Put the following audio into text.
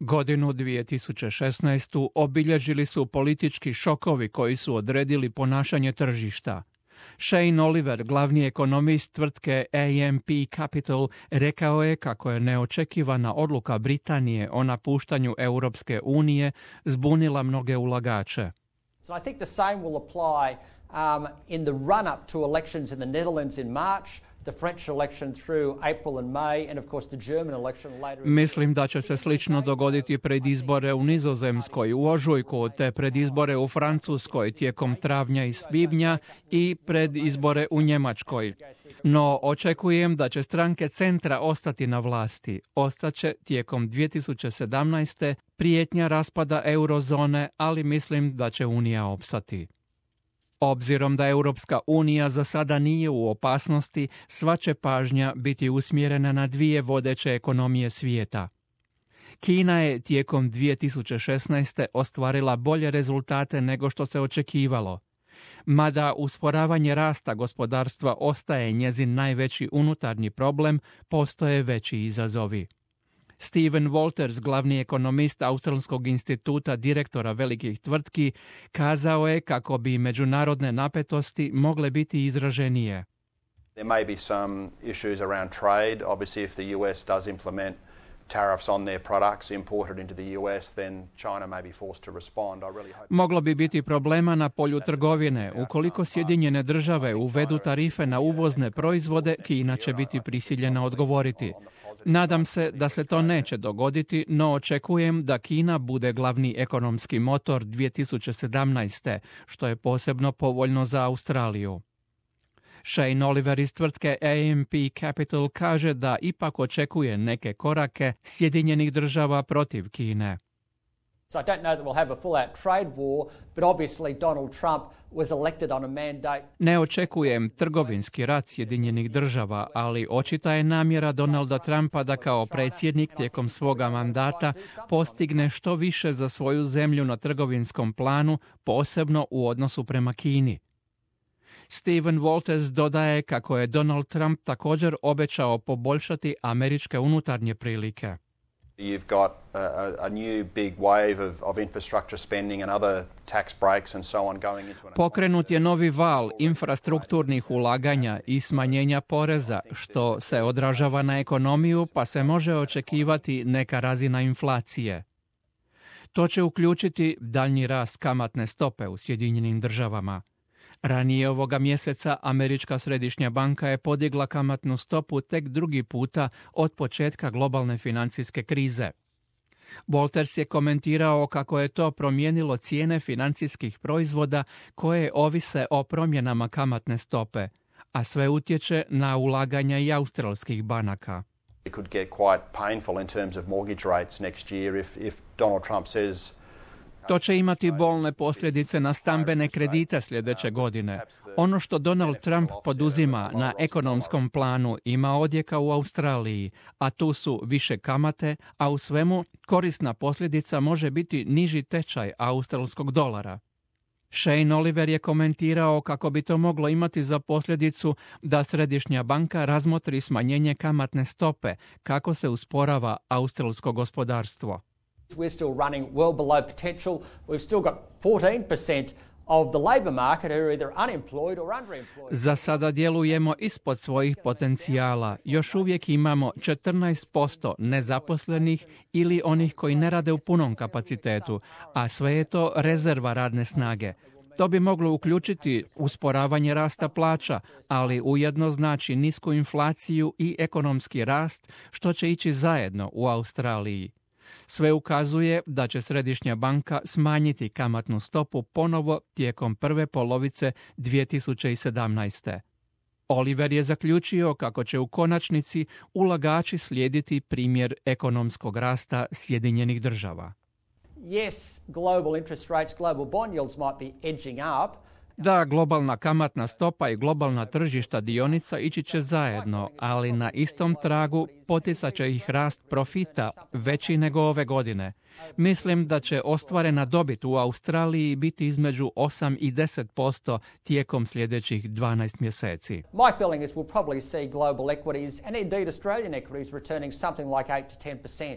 Godinu 2016. obilježili su politički šokovi koji su odredili ponašanje tržišta. Shane Oliver, glavni ekonomist tvrtke AMP Capital, rekao je kako je neočekivana odluka Britanije o napuštanju Europske unije zbunila mnoge ulagače. So I think the same will apply in the run-up to elections in the Netherlands in March, the French election through April and May, and of course the German election later. Mislim da će se slično dogoditi pred izbore u Nizozemskoj u ožujku, te pred izbore u Francuskoj tijekom travnja i svibnja i pred izbore u Njemačkoj. No, očekujem da će stranke centra ostati na vlasti. Ostaće tijekom 2017. prijetnja raspada eurozone, ali mislim da će Unija opstati. Obzirom da Europska unija za sada nije u opasnosti, sva će pažnja biti usmjerena na dvije vodeće ekonomije svijeta. Kina je tijekom 2016. ostvarila bolje rezultate nego što se očekivalo. Mada usporavanje rasta gospodarstva ostaje njezin najveći unutarnji problem, postoje veći izazovi. Steven Walters, glavni ekonomist Australskog instituta direktora velikih tvrtki, kazao je kako bi međunarodne napetosti mogle biti izraženije. There may be some issues around trade. Obviously, if the US does implement tariffs on their products imported into the US, then China may be forced to respond. I really hope. Moglo bi biti problema na polju trgovine. Ukoliko Sjedinjene države uvedu tarife na uvozne proizvode, Kina će biti prisiljena odgovoriti. Nadam se da se to neće dogoditi, no očekujem da Kina bude glavni ekonomski motor 2017. što je posebno povoljno za Australiju. Shane Oliver iz tvrtke AMP Capital kaže da ipak očekuje neke korake Sjedinjenih država protiv Kine. So I don't know that we'll have a full-out trade war, but obviously Donald Trump was elected on a mandate. Ne očekujem trgovinski rat Sjedinjenih država, ali očita je namjera Donalda Trumpa da kao predsjednik tijekom svoga mandata postigne što više za svoju zemlju na trgovinskom planu, posebno u odnosu prema Kini. Steven Walters dodaje kako je Donald Trump također obećao poboljšati američke unutarnje prilike. You've got a new big wave of infrastructure spending and other tax breaks and so on going into. Pokrenut je novi val infrastrukturnih ulaganja i smanjenja poreza, što se odražava na ekonomiju, pa se može očekivati neka razina inflacije. To će uključiti daljnji rast kamatne stope u Sjedinjenim državama. Ranije ovoga mjeseca Američka središnja banka je podigla kamatnu stopu tek drugi puta od početka globalne financijske krize. Walters je komentirao kako je to promijenilo cijene financijskih proizvoda koje ovise o promjenama kamatne stope, a sve utječe na ulaganja i australskih banaka. It could get quite painful in terms of mortgage rates next year if Donald Trump says. To će imati bolne posljedice na stambene kredite sljedeće godine. Ono što Donald Trump poduzima na ekonomskom planu ima odjeka u Australiji, a tu su više kamate, a u svemu korisna posljedica može biti niži tečaj australskog dolara. Shane Oliver je komentirao kako bi to moglo imati za posljedicu da središnja banka razmotri smanjenje kamatne stope kako se usporava australsko gospodarstvo. We're still running well below potential. We've still got 14% of the labour market who are either unemployed or underemployed. Za sada djelujemo ispod svojih potencijala. Još uvijek imamo 14% nezaposlenih ili onih koji ne rade u punom kapacitetu, a sve je to rezerva radne snage. To bi moglo uključiti usporavanje rasta plaća, ali ujedno znači nisku inflaciju i ekonomski rast, što će ići zajedno u Australiji. Sve ukazuje da će središnja banka smanjiti kamatnu stopu ponovo tijekom prve polovice 2017. Oliver je zaključio kako će u konačnici ulagači slijediti primjer ekonomskog rasta Sjedinjenih država. Yes, global interest rates, global bond yields might be edging up. Da, globalna kamatna stopa i globalna tržišta dionica ići će zajedno, ali na istom tragu poticat će ih rast profita veći nego ove godine. Mislim da će ostvarena dobit u Australiji biti između 8 i 10% tijekom sljedećih 12 mjeseci. My feeling is we'll probably see global equities and indeed Australian equities returning something like 8 to 10%.